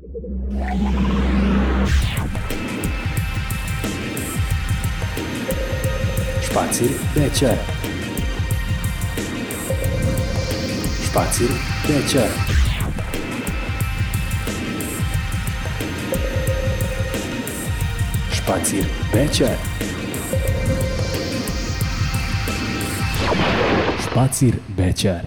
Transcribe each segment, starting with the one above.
Spazir večer. Spazir večer. Spazir večer. Spazir večer.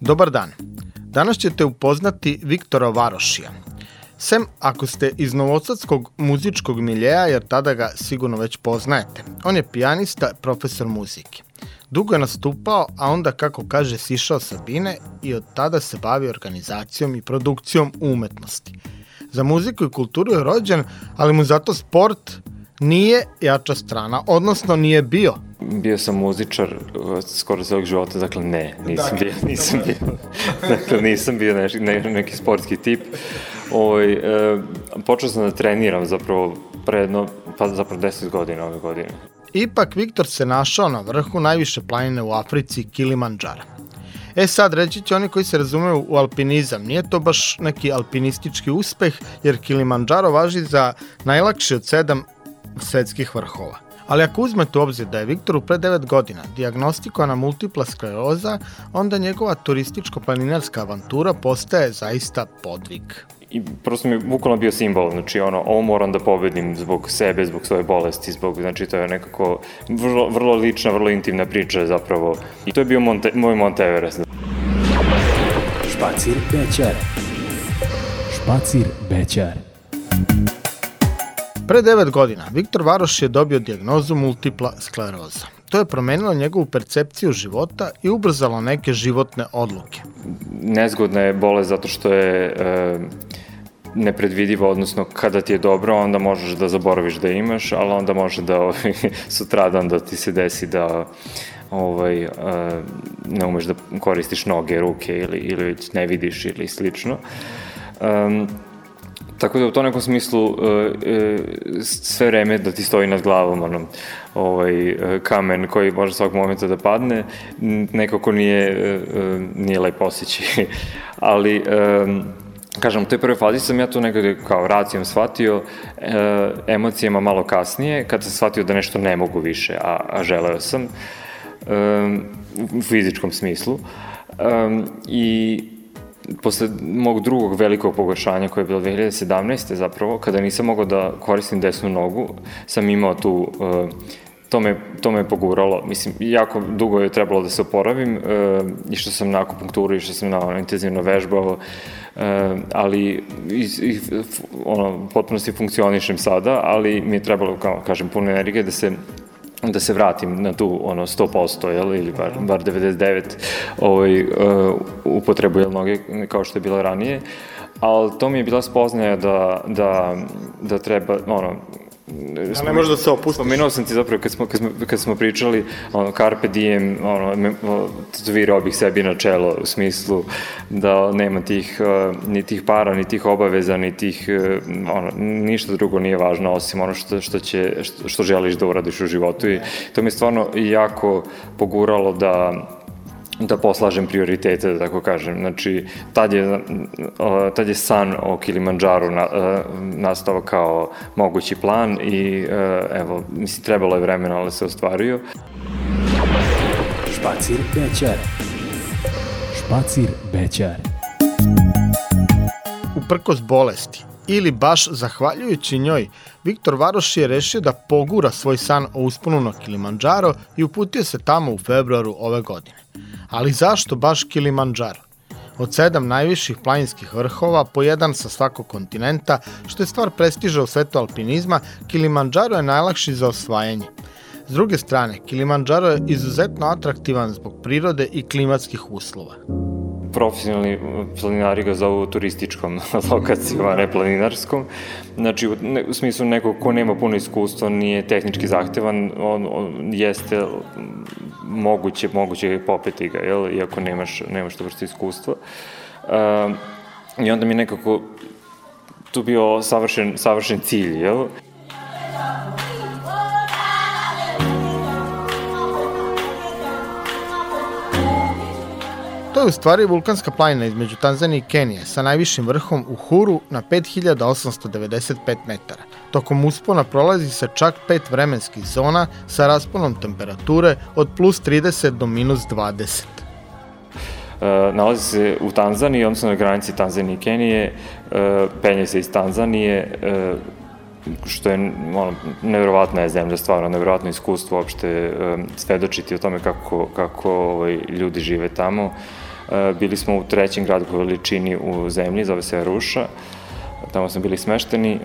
Dobar dan. Danas ćete upoznati Viktora Varošija. Sem ako ste iz novosadskog muzičkog miljeja, jer tada ga sigurno već poznajete. On je pijanista, profesor muzike. Dugo je nastupao, a onda, kako kaže, sišao sa bine i od tada se bavi organizacijom i produkcijom umetnosti. Za muziku i kulturu je rođen, ali mu zato sport nije jača strana, odnosno nije bio. Bio sam muzičar skoro celog života, dakle nisam bio neki sportski tip. Počeo sam da treniram zapravo pre 10 godina ove godine. Ipak Viktor se našao na vrhu najviše planine u Africi, Kilimandžara. Sad reći će oni koji se razumeju u alpinizam, nije to baš neki alpinistički uspeh, jer Kilimandžaro važi za najlakši od 7 svetskih vrhova. Ali ako uzmete u obzir da je Viktoru pre 9 godina dijagnostikovana multipla skleroza, onda njegova turističko-planinarska avantura postaje zaista podvig. I prosto mi je bukvalno bio simbol, znači ovo moram da pobedim zbog sebe, zbog svoje bolesti, znači to je nekako vrlo lična, vrlo intimna priča zapravo. I to je bio moj Monte Everest. Spazir večer. Spazir večer. Pre 9 godina Viktor Varoš je dobio dijagnozu multipla skleroza. To je promenilo njegovu percepciju života i ubrzalo neke životne odluke. Nezgodna je bolest zato što je nepredvidiva, odnosno kada ti je dobro, onda možeš da zaboraviš da imaš, ali onda može da sutradan da ti se desi da ne umeš da koristiš noge, ruke ili ne vidiš ili slično. Tako da u tom nekom smislu sve vreme da ti stoji nad glavom kamen koji može svakog momenta da padne, nekako nije lep osjećaj. Ali, kažem, u toj prvoj fazi sam ja to nekako kao racijom shvatio, emocijama malo kasnije, kad sam shvatio da nešto ne mogu više, a želeo sam, u fizičkom smislu. I posle mog drugog velikog pogoršanja koje je bilo 2017. zapravo, kada nisam mogao da koristim desnu nogu, sam imao tu, to me je poguralo. Mislim, jako dugo je trebalo da se oporavim, išao sam na akupunkturu, išao sam na intenzivno vežbao, ali potpuno si funkcionišem sada, ali mi je trebalo, kao kažem, puno energije da se vratim na tu 100%, ili bar 99% upotrebu noge kao što je bilo ranije, ali to mi je bila spoznaja da treba, ne može da se opustiš. Spomenuo sam ti zapravo kad smo pričali carpe diem, tatuirao bih sebi na čelo u smislu da nema ni tih para, ni tih obaveza, ni tih, ništa drugo nije važno osim ono što želiš da uradiš u životu, i to mi je stvarno jako poguralo da poslažem prioritete, da tako kažem. Znači, tad je san o Kilimandžaru nastao kao mogući plan i mislim, trebalo je vremena, ali se ostvario. Spazir večer. Spazir večer. Uprkos bolesti, ili baš zahvaljujući njoj, Viktor Varoš je rešio da pogura svoj san o usponu na Kilimandžaro i uputio se tamo u februaru ove godine. Ali zašto baš Kilimandžaro? Od 7 najviših planinskih vrhova, po jedan sa svakog kontinenta, što je stvar prestiža u svetu alpinizma, Kilimandžaro je najlakši za osvajanje. S druge strane, Kilimandžaro je izuzetno atraktivan zbog prirode i klimatskih uslova. Profesionalni planinari ga zovu turističkom lokacijom, a ne planinarskom. Znači, u smislu nekog ko nema puno iskustva, nije tehnički zahtevan, on jeste moguće popeti ga, iako nemaš to vrste iskustva. I onda mi nekako tu bio savršen cilj, jel? To je u stvari vulkanska planina između Tanzanije i Kenije sa najvišim vrhom u Huru na 5895 metara. Tokom uspona prolazi se čak 5 vremenskih zona sa rasponom temperature od plus 30 do minus 20. Nalazi se u Tanzaniji, odnosno na granici Tanzanije i Kenije, penje se iz Tanzanije, što je nevjerovatna je zemlja, stvarno nevjerovatno iskustvo uopšte svedočiti o tome kako ljudi žive tamo. Bili smo u trećem gradu po veličini u zemlji, zove se Arusha, tamo smo bili smešteni.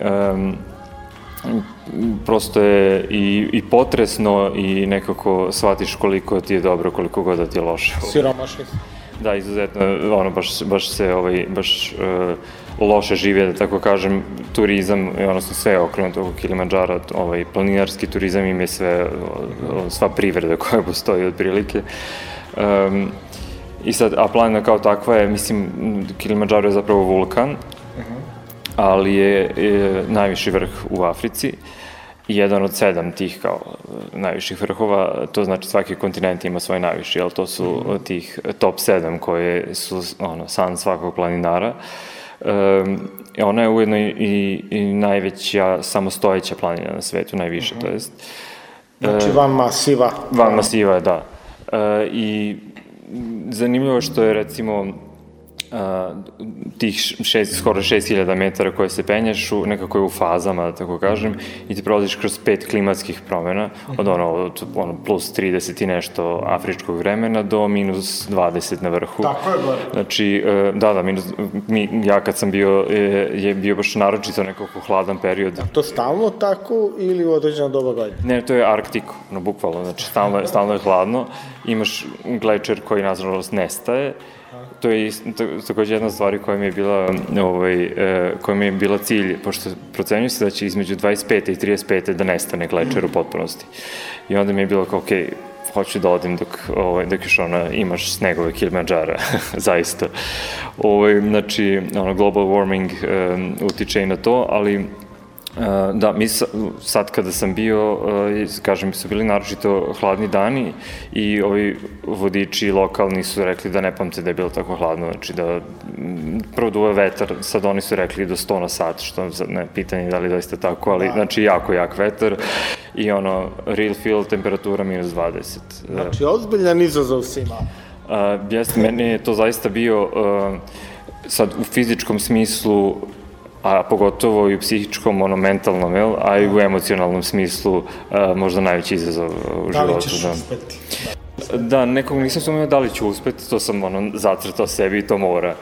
Prosto je i potresno i nekako shvatiš koliko ti je dobro, koliko god da ti je loše. Siromašni. Da, izuzetno, baš loše žive, da tako kažem, turizam, odnosno sve okrenuto oko Kilimandžara, planinarski turizam im je sva privreda koja postoji otprilike. I sad, a planina kao takva je, mislim, Kilimandžaro je zapravo vulkan, ali je najviši vrh u Africi, jedan od 7 tih kao najviših vrhova, to znači svaki kontinent ima svoj najviši, ali to su tih top 7 koje su san svakog planinara. Ona je ujedno i najveća samostojeća planina na svetu, najviše, to jest. Znači van masiva. Van masiva, da. I zanimljivo je što je, recimo, tih skoro 6000 metara koje se penješ nekako je u fazama, da tako kažem, i ti prolaziš kroz 5 klimatskih promjena, od plus 30 i nešto afričkog vremena do minus 20 na vrhu. Tako je gore. Znači, ja kad sam bio, je bio baš naročito nekako hladan period. A to stalno tako ili u određena doba godine? Ne, to je Arktik, bukvalno, znači stalno je hladno, imaš glečer koji nažalost nestaje. To je takođe jedna stvar koja mi je bila cilj, pošto procenjuju se da će između 25. i 35. da nestane glečer u potpunosti. I onda mi je bilo kao, okej, hoću da odim dok još imaš snegove Kilimandžara, zaista. Znači, global warming utiče i na to, ali da, mi sad kada sam bio, kažem, su bili naročito hladni dani i ovi vodiči lokalni su rekli da ne pamte da je bilo tako hladno, znači da prvo duva vetar, sad oni su rekli do 100 na sat, što ne pitanje da li doista tako, ali znači jako jak vetar i real feel temperatura minus 20. Znači ozbiljan izazov si imao. Jeste, meni je to zaista bio sad u fizičkom smislu, a pogotovo i u psihičkom, mentalnom, a i u emocionalnom smislu možda najveći izazov u životu. Da li ćeš uspeti? Da, nekog nisam sumnjao da li ću uspeti, to sam zacrtao sebi i to mora,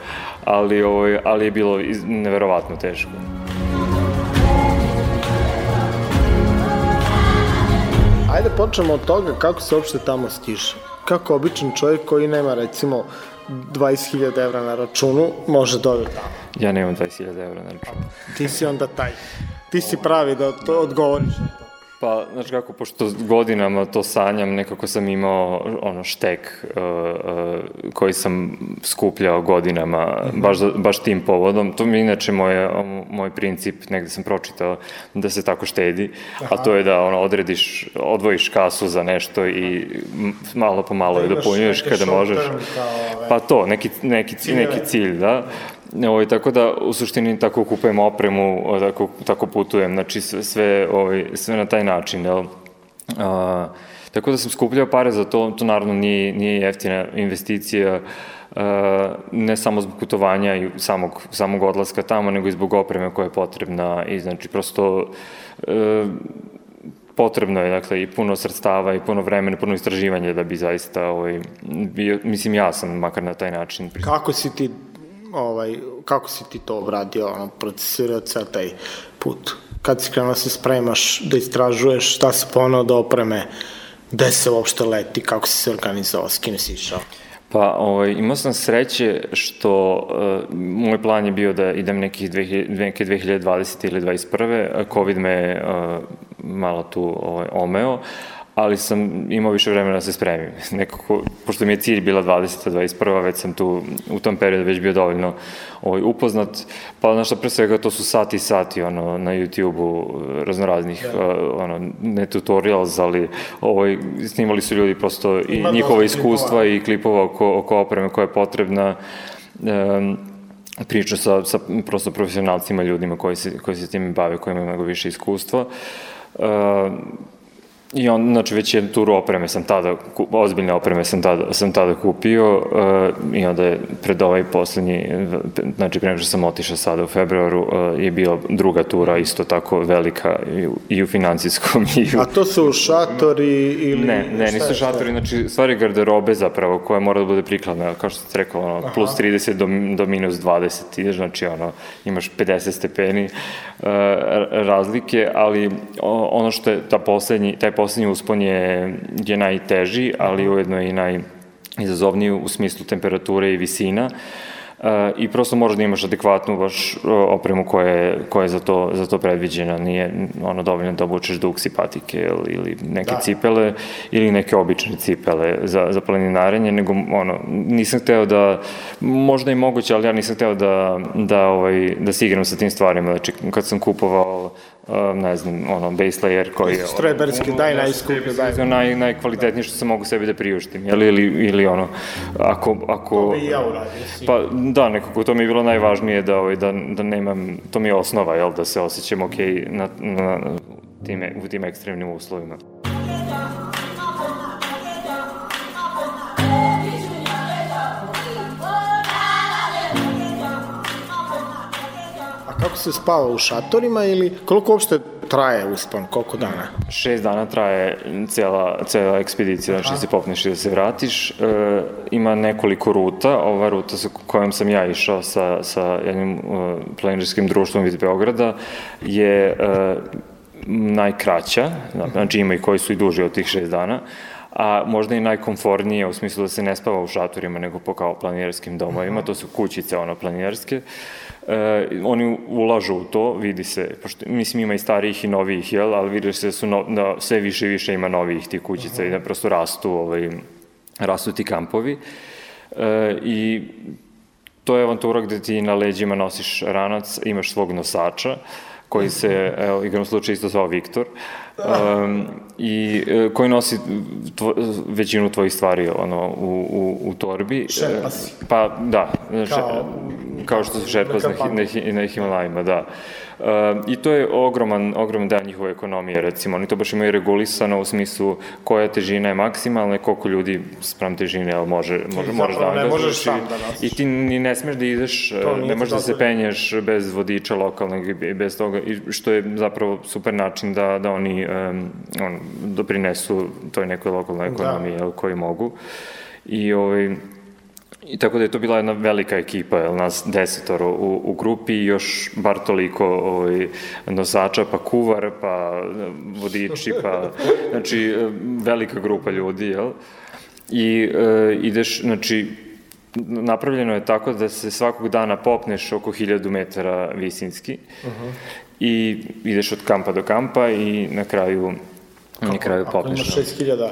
ali je bilo neverovatno teško. Ajde počnemo od toga kako se uopšte tamo stiže. Kako običan čovjek koji nema, recimo, 20.000 evra na računu može dobiti tamo? Ja nemam 20.000 evra na računu. Ti si onda taj. Ti si pravi da to odgovoriš na to. Pa, znači kako, pošto godinama to sanjam, nekako sam imao štek koji sam skupljao godinama, baš tim povodom. To mi je inače moj princip, negde sam pročitao, da se tako štedi, a to je da odvojiš kasu za nešto i malo po malo je dopunjuješ kada možeš. Pa to, neki cilj, da. Tako da, u suštini, tako kupujem opremu, tako putujem, znači sve na taj način, jel? Tako da sam skupljao pare za to, to naravno nije jeftina investicija, ne samo zbog putovanja i samog odlaska tamo, nego i zbog opreme koja je potrebna i znači prosto potrebno je, dakle, i puno sredstava i puno vremena, puno istraživanja da bi zaista bio, mislim, ja sam makar na taj način. Kako si ti to obradio, procesirao ceo taj put? Kad si krenuo se spremaš, da istražuješ, šta se poneo do opreme, gde se uopšte leti, kako si se organizovao, s kim si išao? Pa, imao sam sreće što moj plan je bio da idem neke 2020. ili 2021. COVID me malo tu omeo, ali sam imao više vremena da se spremim. Nekako, pošto mi je cilj bila 20. 21. već sam tu u tom periodu već bio dovoljno upoznat, pa znaš šta, pre svega to su sati i sati na YouTube-u raznoraznih ne tutorials, ali snimali su ljudi prosto i njihova iskustva i klipova oko opreme koja je potrebna, priča sa prosto profesionalcima, ljudima koji se tim bave, koji imaju mnogo više iskustva. I znači već jednu turu opreme sam tada, ozbiljne opreme sam tada kupio i onda je pred ovaj poslednji, znači pre nego što sam otišao sada u februaru, je bila druga tura isto tako velika i u financijskom i u... A to su šatori ili... Ne, nisu šatori, znači stvari garderobe zapravo koja mora da bude prikladna, kao što ste rekao, plus 30 do minus 20, ideš, znači imaš 50 stepeni razlike, ali ono što je taj poslednji uspon je najteži, ali ujedno i najizazovniji u smislu temperature i visina i prosto možeš da imaš adekvatnu baš opremu koja je za to predviđena. Nije dovoljno da obučeš duksi, patike ili neke cipele ili neke obične cipele za planinarenje, nego nisam hteo da, možda i moguće, ali ja nisam hteo da se igram sa tim stvarima. Znači, kad sam kupovao ne znam, base layer koji je... Strojberski, daj najskuplje, daj. Najkvalitetnije što sam mogu sebi da priuštim, ili ako... To bi i ja uradio. Pa da, nekako to mi je bilo najvažnije da nemam, to mi je osnova, da se osjećam okej u tim ekstremnim uslovima. Kako se spava u šatorima ili koliko uopšte traje uspon, koliko dana? 6 dana traje cela ekspedicija, znači se popneš i da se vratiš. Ima nekoliko ruta, ova ruta sa kojom sam ja išao sa jednim planinarskim društvom iz Beograda je najkraća, znači ima i koji su i duži od tih 6 dana, a možda i najkomfortnije u smislu da se ne spava u šatorima nego po kao planinarskim domovima, to su kućice planinarske. Oni ulažu u to, vidi se, pošto mislim ima i starijih i novijih, ali vidi se da sve više i više ima novijih tih kućica i da prosto rastu ti kampovi. I to je avantura gde ti na leđima nosiš ranac, imaš svog nosača, koji se, igram slučaj, isto zvao Viktor, i koji nosi većinu tvojih stvari u torbi. Šerpa si. Pa da, kao što su šerpa na Himalajima, da. I to je ogroman deo njihove ekonomije, recimo. Oni to baš imaju regulisano u smislu koja težina je maksimalna i koliko ljudi sprem težine možeš da angažuješ. I ti ni ne smeš da ideš, ne možeš da se penješ bez vodiča lokalnog i bez toga, što je zapravo super način da oni doprinesu toj nekoj lokalnoj ekonomiji koji mogu. I tako da je to bila jedna velika ekipa, nas 10 u grupi i još bar toliko nosača, pa kuvar, pa vodiči, pa znači velika grupa ljudi, i ideš, znači napravljeno je tako da se svakog dana popneš oko 1000 metara visinski i ideš od kampa do kampa i na kraju popneš. Ako imaš 6000...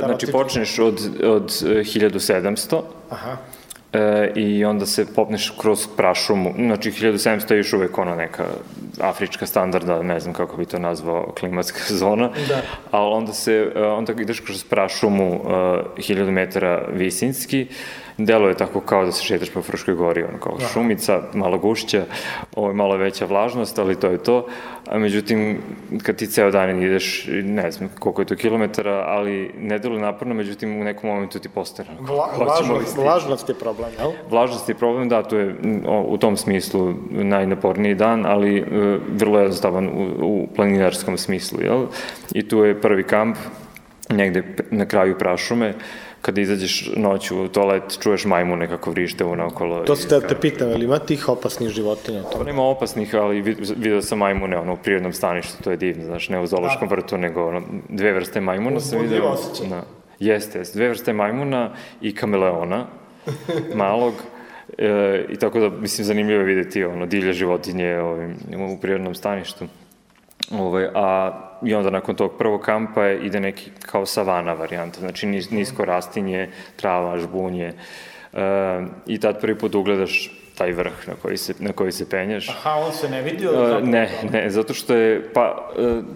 Znači, počneš od 1700 i onda se popneš kroz prašumu. Znači, 1700 je još uvek neka afrička standarda, ne znam kako bi to nazvao, klimatska zona, ali onda ideš kroz prašumu 1000 metara visinski, delo je tako kao da se šetaš po Fruškoj gori, kao šumica, malo gušća, malo veća vlažnost, ali to je to. Međutim, kad ti ceo dan ideš, ne znam koliko je to kilometara, ali ne deluje naporno, međutim u nekom momentu ti postane. Vlažnost je problem, jel? Vlažnost je problem, da, to je u tom smislu najnaporniji dan, ali vrlo jednostavan u planinarskom smislu, jel? I tu je prvi kamp, negde na kraju prašume, kada izađeš noću u toalet, čuješ majmune kako vrište unaokolo. To se da te pitam, ali ima tih opasnih životinja? To nema opasnih, ali vidio sam majmune u prirodnom staništu, to je divno, znaš, ne u zoološkom vrtu, nego 2 vrste majmuna sam vidio. Uzbudljivo osjećaj. Jeste, 2 vrste majmuna i kameleona, malog, i tako da, mislim, zanimljivo je vidjeti divlje životinje u prirodnom staništu. A i onda nakon tog prvog kampa ide neki kao savana varijanta, znači nisko rastinje, trava, žbunje, i tad prvi put ugledaš taj vrh na koji se penješ. Aha, on se ne vidi? Ne, zato što je,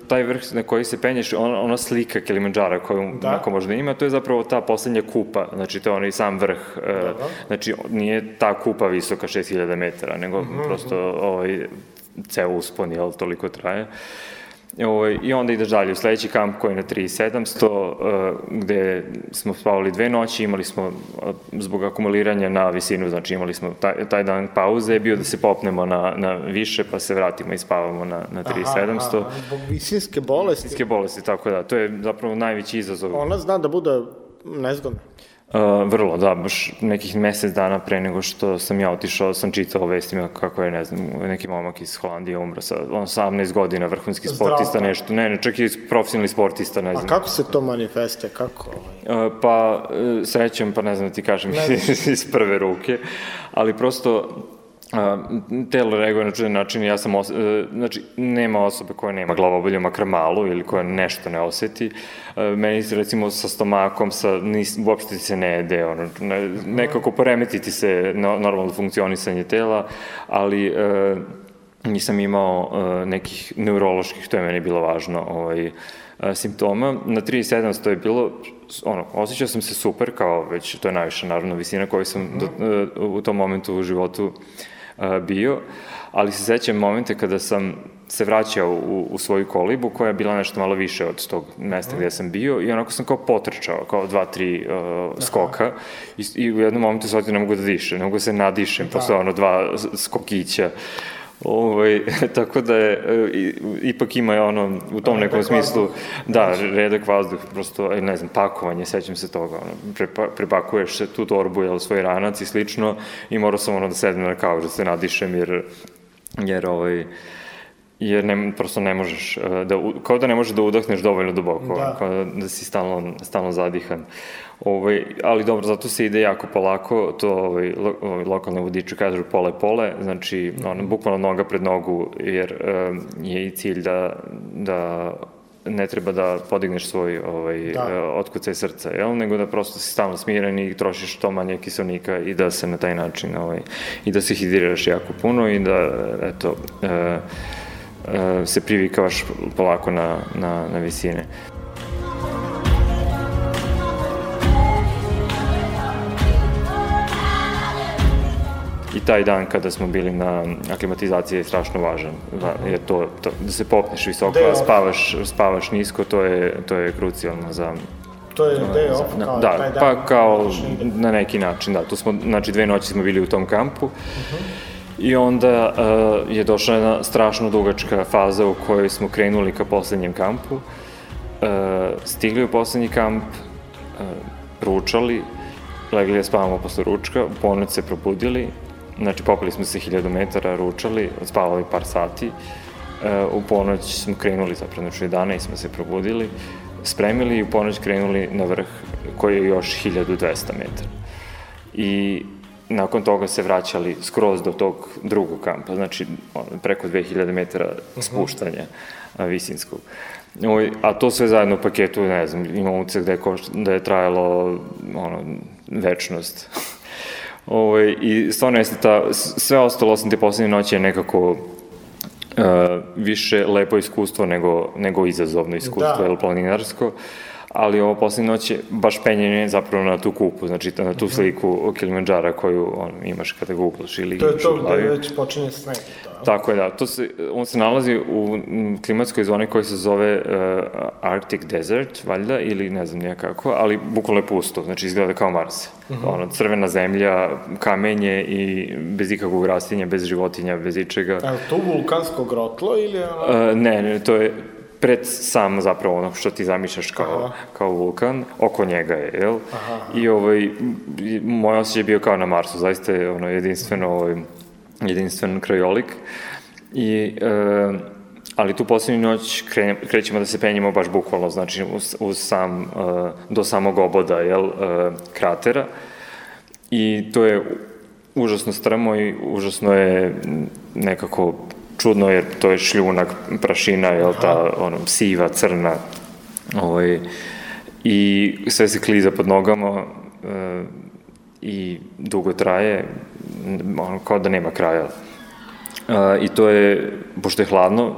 taj vrh na koji se penješ, ona slika Kilimandžara koju neko možda ima, to je zapravo ta poslednja kupa, znači to je onaj sam vrh, znači nije ta kupa visoka 6000 metara, nego prosto ceo uspon, jel, toliko traje. I onda ideš dalje u sledeći kamp koji je na 3700, gde smo spavali 2 noći, imali smo zbog akumuliranja na visinu, znači imali smo taj dan pauze, je bio da se popnemo na više, pa se vratimo i spavamo na 3700. Zbog visinske bolesti? Visinske bolesti, tako da, to je zapravo najveći izazov. Ona zna da bude nezgodna? Vrlo, da, baš nekih mesec dana pre nego što sam ja otišao, sam čitao vestima kako je, ne znam, neki momak iz Holandije umro sa 18 godina, vrhunski sportista, nešto, ne, čak i profesionalni sportista, ne znam. A kako se to manifestuje, kako? Pa, srećem, pa ne znam da ti kažem iz prve ruke, ali prosto telo reaguje na čudan način, ja sam, znači, nema osobe koja nema glavobolju makar malo ili koja nešto ne oseti. Meni se, recimo, sa stomakom, uopšte ti se ne jede, nekako poremetiti se normalno funkcionisanje tela, ali nisam imao nekih neuroloških, to je meni bilo važno, simptoma. Na 3700 je bilo, osjećao sam se super, kao već, to je najviša, naravno, visina koju sam u tom momentu u životu bio, ali se sećam momente kada sam se vraćao u svoju kolibu, koja je bila nešto malo više od tog mesta gde sam bio, i onako sam kao potrčao, kao 2-3 skoka, i u jednom momentu se ne mogu da dišem, ne mogu da se nadišem posle 2 skokića. Tako da je, ipak ima u tom nekom smislu, da, redak vazduh, prosto, ne znam, pakovanje, sećam se toga, prepakuješ se tu torbu, svoj ranac i slično, i morao sam da sedem na kauč, da se nadišem, jer prosto ne možeš, kao da ne možeš da udahneš dovoljno duboko, kao da si stalno zadihan. Ali dobro, zato se ide jako polako, to lokalne vodiče kažu pole, znači bukvalno noga pred nogu, jer je i cilj da ne treba da podigneš svoj otkucaj srca, nego da prosto si stalno smiren i trošiš što manje kiselnika i da se na taj način, i da se hidriraš jako puno i da, eto, se privikavaš polako na visine. I taj dan kada smo bili na aklimatizaciji je strašno važan, jer to da se popneš visoko, a spavaš nisko, to je krucijalno za... To je day off, kao taj dan? Da, pa kao na neki način, da. Tu smo, znači 2 noći smo bili u tom kampu, i onda je došla jedna strašno dugačka faza u kojoj smo krenuli ka poslednjem kampu, stigli u poslednji kamp, ručali, legli da spavamo posle ručka, u ponoć se probudili, znači popili smo se 1000 metara, ručali, spavali par sati, u ponoć smo krenuli, zapravo, znači 11 smo se probudili, spremili i u ponoć krenuli na vrh koji je još 1200 metara. I nakon toga se vraćali skroz do tog drugog kampa, znači preko 2000 metara spuštanja visinskog. A to sve zajedno u paketu, ne znam, imam utisak da je trajalo večnost. I stvarno jeste sve ostalo osim te poslednje noći je nekako više lepo iskustvo nego izazovno iskustvo, ili planinarsko. Ali ovo poslednje noć je baš penjenje zapravo na tu kupu, znači na tu sliku Kilimandžara koju imaš kada googlaš ili imaš u glavi. To je to gde već počinje sneg. Tako je, da. On se nalazi u klimatskoj zoni koja se zove Arctic Desert, valjda, ili ne znam nijakako, ali bukvalno je pusto, znači izgleda kao Mars. Crvena zemlja, kamenje i bez ikakvog rastinja, bez životinja, bez ičega. Je li to vulkansko grotlo ili... Ne, to je pred sam zapravo ono što ti zamišljaš kao vulkan, oko njega je, jel? I moj osjećaj je bio kao na Marsu, zaista je jedinstven krajolik. Ali tu poslednju noć krećemo da se penjemo baš bukvalno, znači do samog oboda, jel, kratera. I to je užasno strmo i užasno je nekako čudno jer to je šljunak, prašina, jel ta siva, crna, i sve se kliza pod nogama i dugo traje, kao da nema kraja. I to je, pošto je hladno,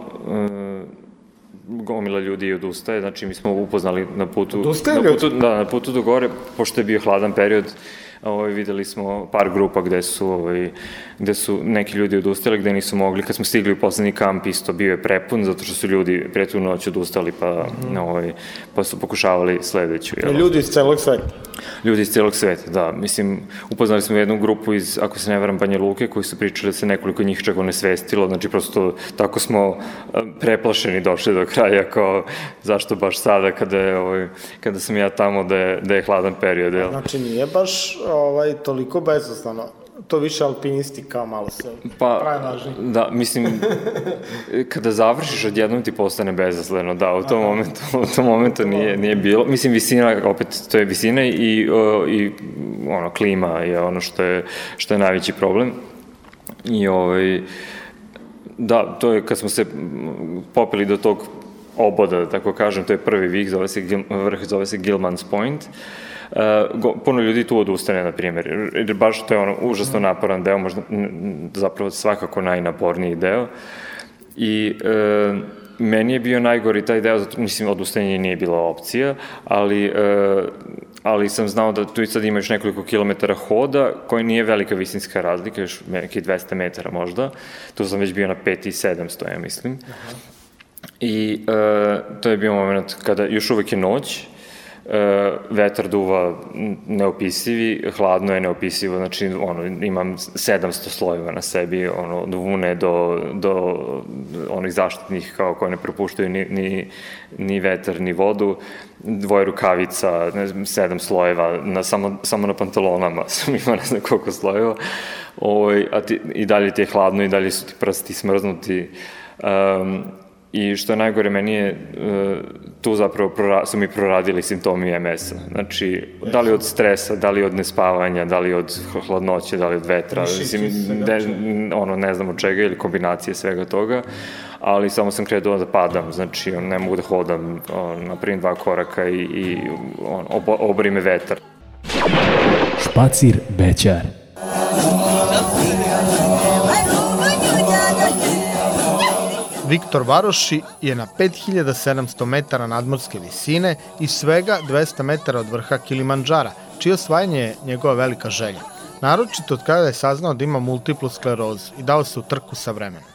gomila ljudi odustaje, znači mi smo upoznali na putu do gore, pošto je bio hladan period, videli smo par grupa gde su neki ljudi odustali, gde nisu mogli. Kad smo stigli u poslednji kamp, isto bio je prepun, zato što su ljudi pre tu noć odustali, pa su pokušavali sledeću. Ljudi iz celog sveta? Ljudi iz celog sveta, da. Mislim, upoznali smo jednu grupu iz, ako se ne varam, Banja Luke, koji su pričali da se nekoliko njih čak onesvestilo, znači prosto tako smo preplašeni došli do kraja, kao zašto baš sada kada sam ja tamo da je hladan period, jel? Znači nije baš toliko bezosnovno, to više alpinisti kao malo se pravi važni. Da, mislim, kada završiš odjednom ti postane bezazleno, da, u tom momentu nije bilo. Mislim, visina, opet, to je visina i klima je ono što je najveći problem. I da, to je kad smo se popeli do tog oboda, da tako kažem, to je prvi vrh, zove se Gilman's Point. Puno ljudi tu odustane, na primjer, jer baš to je užasno naporan deo, možda zapravo svakako najnaporniji deo. I meni je bio najgori taj deo, zato mislim, odustanje nije bila opcija, ali sam znao da tu i sad ima još nekoliko kilometara hoda, koji nije velika visinska razlika, još neki 200 metara možda. Tu sam već bio na 5700, ja mislim. I to je bio moment kada još uvek je noć, vetar duva neopisivi, hladno je neopisivo, znači imam 700 slojeva na sebi, od vune do onih zaštitnih koje ne propuštaju ni vetar, ni vodu, 2 rukavica, 7 slojeva, samo na pantalonama sam imao ne znam koliko slojeva, i dalje ti je hladno i dalje su ti prsti smrznuti. I što je najgore, meni je tu zapravo su mi proradili simptomi MS-a. Znači, da li od stresa, da li od nespavanja, da li od hladnoće, da li od vetra, ne znam od čega ili kombinacije svega toga, ali samo sam krenuo da padam, znači ne mogu da hodam, napravim 2 koraka i obori me vetar. Špacir Bećar. Viktor Varoši je na 5700 metara nadmorske visine i svega 200 metara od vrha Kilimandžara, čije osvajanje je njegova velika želja. Naročito od kada je saznao da ima multiplu sklerozu i dao se u trku sa vremenom.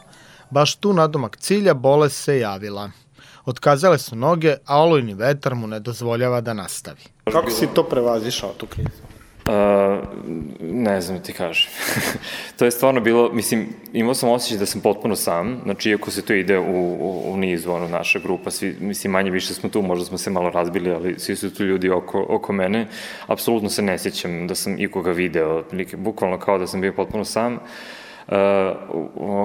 Baš tu nadomak cilja bolest se javila. Otkazale su noge, a olujni vetar mu ne dozvoljava da nastavi. Kako si to prevazišao, tu krizu? Ne znam ti kažem. To je stvarno bilo, mislim, imao sam osjećaj da sam potpuno sam, znači iako se to ide u nizu, naša grupa, svi, mislim, manje više smo tu, možda smo se malo razbili, ali svi su tu ljudi oko mene, apsolutno se ne sjećam da sam ikoga video, bukvalno kao da sam bio potpuno sam,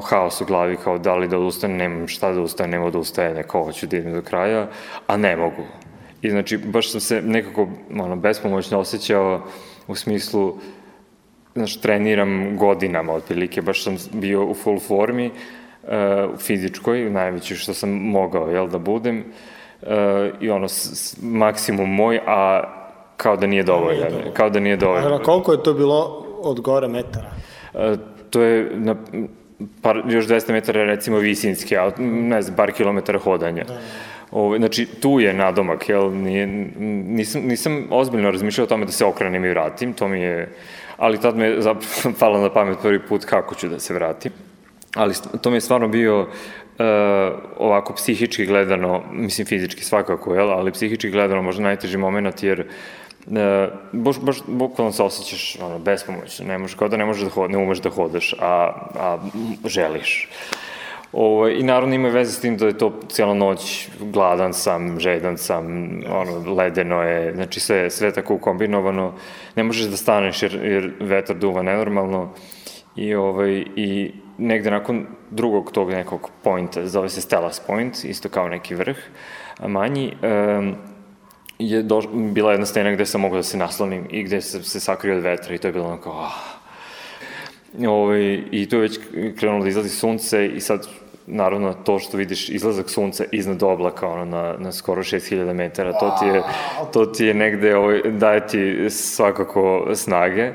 haos u glavi, kao da li da odustane, nemam šta da ustane, nema da ustaje, kao hoću da idem do kraja, a ne mogu. I znači, baš sam se nekako bespomoćno osjećao u smislu, znači, treniram godinama otprilike, baš sam bio u full formi, fizičkoj, najveći što sam mogao, da budem, i maksimum moj, a kao da nije dovoljno. Koliko je to bilo od gore metara? To je još 200 metara, recimo, visinske, a ne znam, par kilometara hodanja. Znači, tu je nadomak, nisam ozbiljno razmišljao o tome da se okrenem i vratim, ali tad me je zapravo palo na pamet prvi put kako ću da se vratim, ali to mi je stvarno bio ovako psihički gledano, mislim fizički svakako, ali psihički gledano možda najteži moment, jer baš bukvalno se osjećaš bespomoćno, kao da ne umeš da hodaš, a želiš. I naravno ima veze s tim da je to cijela noć, gladan sam, žedan sam, ledeno je, znači sve tako kombinovano, ne možeš da staneš jer vetar duva nenormalno i negde nakon drugog tog nekog pointa, zove se Stellas Point, isto kao neki vrh, manji, je bila jedna stena gde sam mogao da se naslonim i gde se sakrio od vetra i to je bilo onako, i tu je već krenulo da izlazi sunce i sad naravno to što vidiš izlazak sunca iznad oblaka, ono, na skoro 6000 metara, to ti je negde, daje ti svakako snage.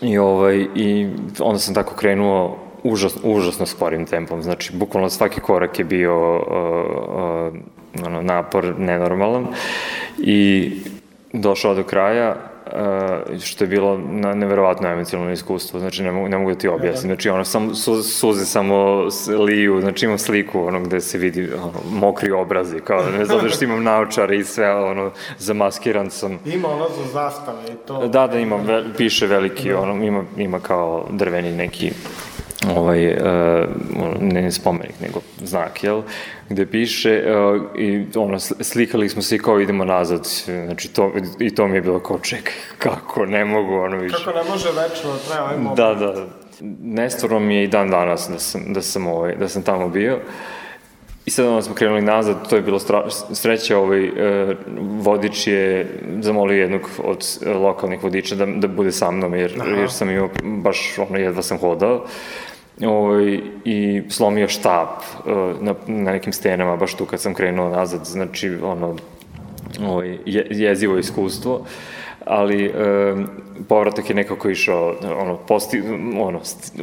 I onda sam tako krenuo užasno sporim tempom, znači bukvalno svaki korak je bio napor nenormalan i došao do kraja, što je bilo neverovatno emocionalno iskustvo, znači ne mogu da ti objasnim, znači suze samo liju, znači imam sliku gde se vidi mokri obrazi, kao ne znam što imam naočare i sve, zamaskiran sam. Ima za zastave i to? Da, ima, piše veliki, ima kao drveni neki ne spomenik, nego znak, jel, gde piše i slikali smo se i kao idemo nazad, znači to mi je bilo kao čekaj, kako ne mogu, više. Kako ne može večno da traje ovaj moment. Da, nestvarno mi je i dan danas da sam tamo bio. I sad onda smo krenuli nazad, to je bilo sreća, vodič je zamolio jednog od lokalnih vodiča da bude sa mnom, jer sam imao, baš jedva sam hodao, i slomio štap na nekim stenama, baš tu kad sam krenuo nazad, znači, jezivo iskustvo, ali povratak je nekako išao,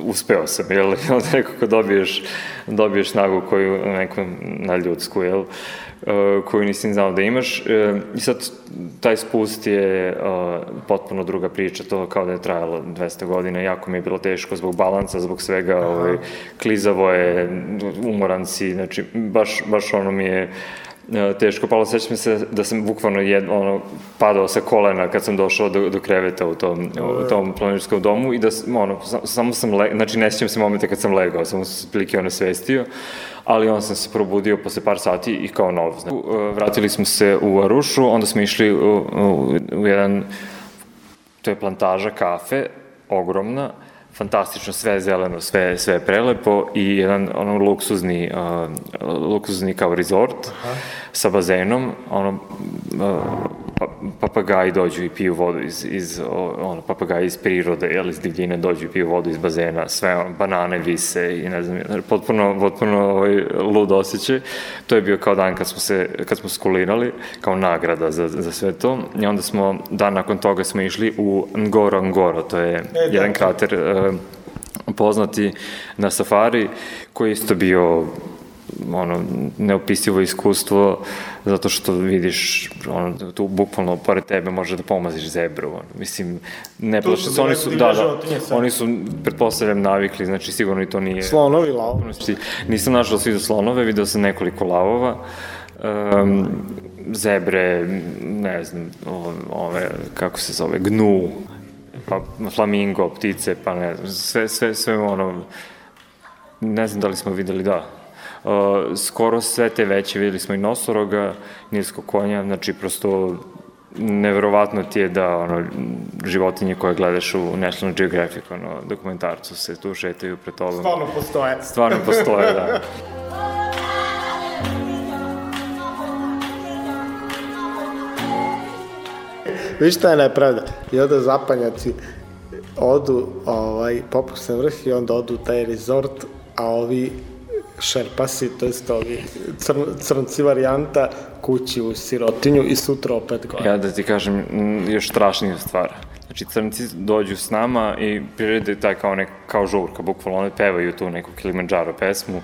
uspeo sam, jel, nekako dobiješ snagu koju neku nadljudsku, jel, koju nisi znao da imaš, i sad taj spust je potpuno druga priča, to kao da je trajalo 200 godina, jako mi je bilo teško zbog balansa, zbog svega, klizavo je, umoran si, znači, baš mi je teško palo. Sećam se da sam bukvalno padao sa kolena kad sam došao do kreveta u tom planinarskom domu i da samo sam, znači ne sjećam se momenta kad sam legao, samo sam se prilike onesvestio, ali onda sam se probudio posle par sati i kao nov. Vratili smo se u Arušu, onda smo išli u jedan, to je plantaža kafe, ogromna, fantastično, sve zeleno, sve prelepo i jedan luksuzni kao resort sa bazenom, papagaji dođu i piju vodu papagaji iz prirode, iz divljine dođu i piju vodu iz bazena, sve banane vise i ne znam, potpuno lud osjećaj. To je bio kao dan kad smo skulirali, kao nagrada za sve to, i onda smo, dan nakon toga smo išli u Ngorongoro, to je jedan krater poznati na safari, koji je isto bio neopisivo iskustvo, zato što vidiš, tu bukvalno pored tebe može da pomaziš zebru, mislim, ne plaši se, oni su, pretpostavljam, navikli, znači sigurno i to nije... Slonovi, lavovi. Nisam našao svi za slonove, video sam nekoliko lavova, zebre, ne znam, kako se zove, gnu, pa flamingo, ptice, pa ne znam, sve ne znam da li smo videli, skoro sve te veće, videli smo i nosoroga, nilskog konja, znači prosto neverovatno ti je da životinje koje gledaš u National Geographic dokumentarcu se tu šetaju pred tobom. Stvarno postoje, da. Viš šta je nepravda? I onda zapanjaci odu, popuste vrh i onda odu u taj resort, a ovi šerpasi, to jest ovi crnci varijanta, kući u sirotinju i sutra opet gore. Ja da ti kažem još strašnija stvar. Znači, crnci dođu s nama i prirede taj kao žurka, bukvalno one pevaju tu neku Kilimanjaro pesmu,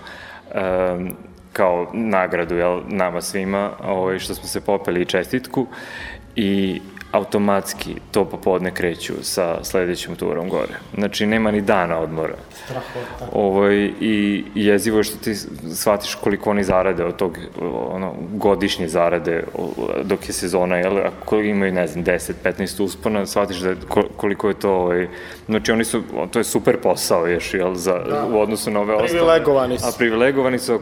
kao nagradu, nama svima, što smo se popeli i čestitku, i automatski to popodne kreću sa sledećom turom gore. Znači, nema ni dana odmora. Strahota. I jezivo je što ti shvatiš koliko oni zarade od tog, godišnje zarade dok je sezona, ako imaju, ne znam, 10-15 uspona, shvatiš da koliko je to, znači to je super posao, u odnosu na ove ostale. Privilegovani su. A privilegovani su,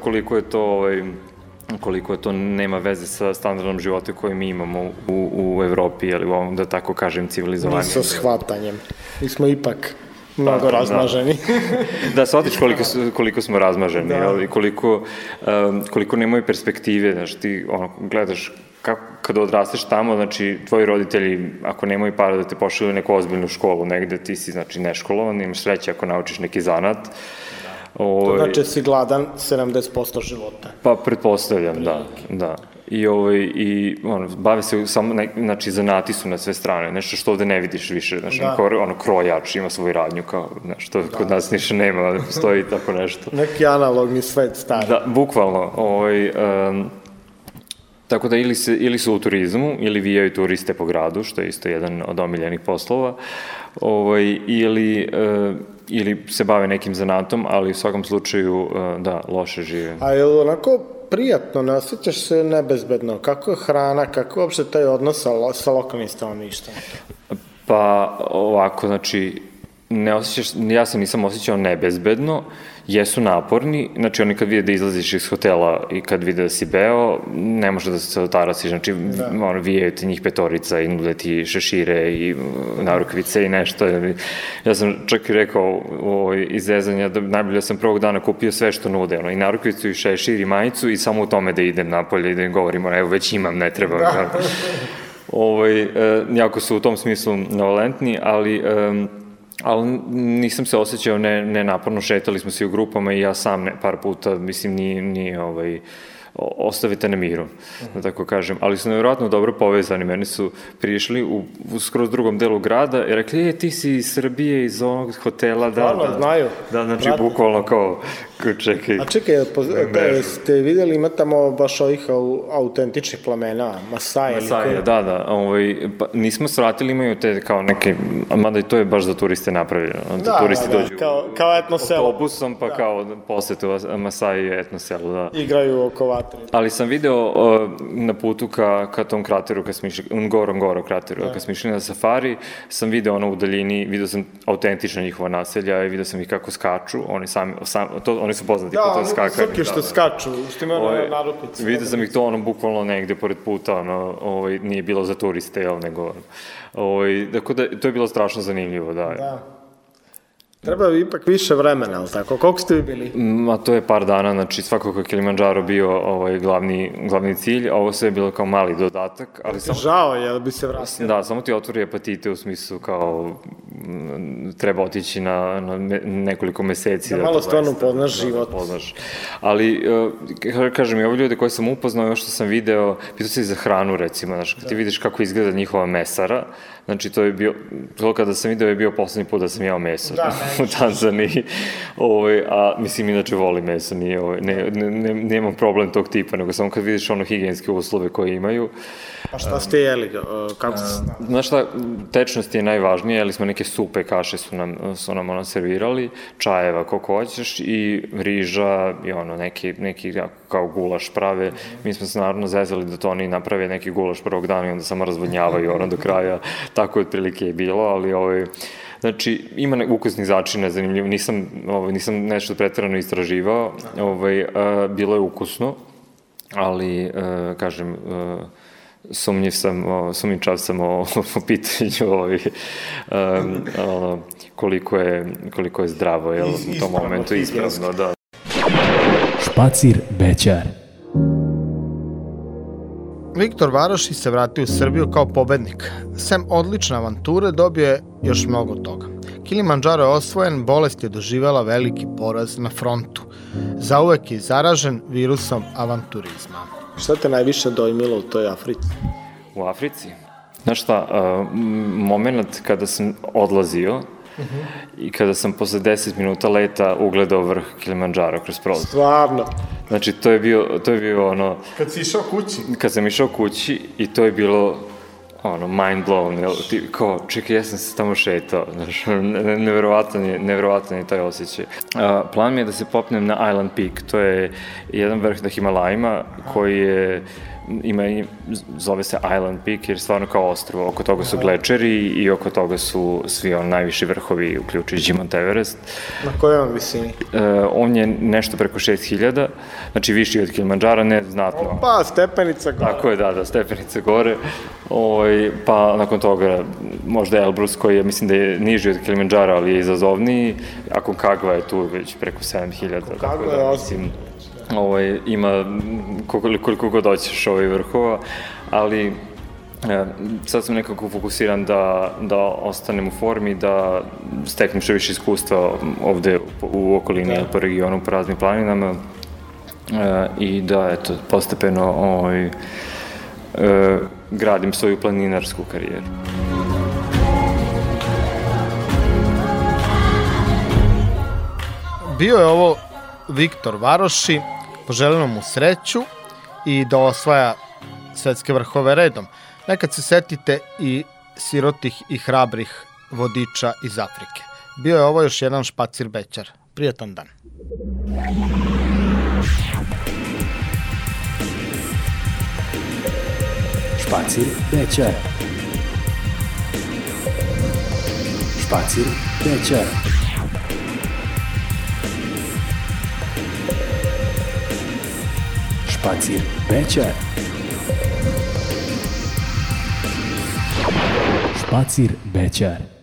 koliko je to nema veze sa standardom života koje mi imamo u Evropi, ili u ovom, da tako kažem, civilizovanju. Mi sa shvatanjem. Mi smo ipak mnogo razmaženi. Da, shvatiš koliko smo razmaženi, i koliko nemaju perspektive, znaš, ti gledaš kada odrasteš tamo, znači, tvoji roditelji, ako nemaju para da te pošalju u neku ozbiljnu školu negde, ti si, znači, neškolovan, imaš sreće ako naučiš neki zanat, To znači si gladan 70% života. Pa pretpostavljam, da. I bave se samo, znači zanati su na sve strane, nešto što ovde ne vidiš više, znači krojač ima svoju radnju, kao nešto kod nas niše nema, ali postoji tako nešto. Neki analogni svet stari. Da, bukvalno, tako da ili su u turizmu, ili vijaju turiste po gradu, što je isto jedan od omiljenih poslova, ili se bave nekim zanatom, ali u svakom slučaju, da, loše žive. A je li onako prijatno, ne osjećaš se nebezbedno? Kako je hrana, kako je uopšte taj odnos sa lokalnim stanovništvom? Pa ovako, znači, ja se nisam osjećao nebezbedno, jesu naporni, znači oni kad vide da izlaziš iz hotela i kad vide da si beo, ne može da se otarasiš, znači vijaju ti njih petorica i nude ti šešire i narukvice i nešto. Ja sam čak i rekao iz zezanja da najbolje sam prvog dana kupio sve što nude, i narukvicu i šešir i majicu i samo u tome da idem napolje i da im govorim, evo već imam, ne treba. Jako su u tom smislu novalentni, ali nisam se osjećao nenaporno, šetali smo se u grupama i ja sam par puta, mislim, nije ostavite na miru, da tako kažem, ali su nevjerojatno dobro povezani, meni su prišli u skroz drugom delu grada i rekli, ti si iz Srbije, iz onog hotela, znaju. Da, znači, bukvalno kao, čekaj. A čekaj, ste vidjeli, ima tamo baš ovih autentičnih plamena, Masaje? Masaje, da, pa nismo svratili, imaju te kao neke, mada i to je baš za turiste napravljeno, da turisti dođu kao etnoselo. Autobusom, pa kao posetu Masaje i etnoselu, da. Igraju oko vatre. Ali sam video na putu ka tom krateru, kad smo išli, Ngorongoro krateru, kad smo išli na safari, sam video u daljini, video sam autentična njihova naselja i video sam ih kako skaču, oni su poznati po to skakanje. Da, oni što skaču, što imaju narupice. Vidio sam ih to bukvalno negde pored puta, nije bilo za turiste, nego, tako da to je bilo strašno zanimljivo, da. Treba ipak više vremena, ali tako? Koliko ste vi bili? To je par dana, znači svakako je Kilimandžaro bio glavni cilj, a ovo sve je bilo kao mali dodatak. Žao je da bi se vratio. Da, samo ti otvori apatite u smislu kao treba otići na nekoliko meseci. Da malo stvarno upoznaš život. Ali, kažem, i ovi ljude koje sam upoznao, još što sam video, pitao se i za hranu, recimo, znači, kad ti vidiš kako izgleda njihova mesara, znači, to je bio, to kada sam video je bio poslednji put da sam jeo meso u Tanzaniji, a mislim, inače volim meso, nemam problem tog tipa, nego samo kad vidiš higijenske uslove koje imaju. A šta ste jeli? Kako ste? Znaš šta, tečnost je najvažnije, jeli smo neke supe, kaše su nam servirali, čajeva koliko hoćeš i riža i neki kao gulaš prave. Mi smo se naravno zezali da to oni naprave neki gulaš prvog dana i onda samo razvodnjavaju do kraja. Tako je otprilike je bilo, ali znači, ima ukusnih začina, zanimljivo, nisam nešto preterano istraživao, bilo je ukusno, ali, kažem, sumnjičav sam o pitanju koliko je zdravo u tom momentu, ispravno, da. Špacir Bećar. Viktor Varoši se vratio u Srbiju kao pobednik. Sem odlične avanture dobio je još mnogo toga. Kilimandžaro je osvojen, bolest je doživela veliki poraz na frontu. Zauvek je zaražen virusom avanturizma. Šta te najviše dojmilo u toj Africi? U Africi? Znaš šta, moment kada sam odlazio i kada sam posle 10 minuta leta ugledao vrh Kilimandžara kroz prozor. Stvarno? Znači, to je bio ono... Kad si išao kući? Kad sam išao kući i to je bilo mind blown, kao, čekaj, ja sam se tamo šetao, znaš, nevjerovatan je taj osjećaj. Plan mi je da se popnem na Island Peak, to je jedan vrh na Himalajima koji je, zove se Island Peak jer stvarno kao ostrvo, oko toga su glečeri i oko toga su svi najviši vrhovi, uključujući Mount Everest. Na kojoj on visini? On je nešto preko 6000, znači viši od Kilimandžara, ne znatno. Pa, stepenica gore. Tako je, da, stepenica gore. Pa nakon toga možda Elbrus koji je, mislim da je niži od Kilimandžara, ali je izazovniji, a Aconcagua je tu već preko 7000. Aconcagua je osim. Ima koliko god hoćeš vrhova, ali Sad sam nekako fokusiran da ostanem u formi, da steknem što više iskustva ovde u okolini, po regionu, po raznim planinama i da, eto, postepeno gradim svoju planinarsku karijeru. Bio je ovo Viktor Varoši, poželimo mu sreću i da osvaja svetske vrhove redom. Nekad se setite i sirotih i hrabrih vodiča iz Afrike. Bio je ovo još jedan Špacir Bećar. Prijatan dan. Špacir Bećar. Špacir Bećar. Špacir Bećar. Špacir Bećar.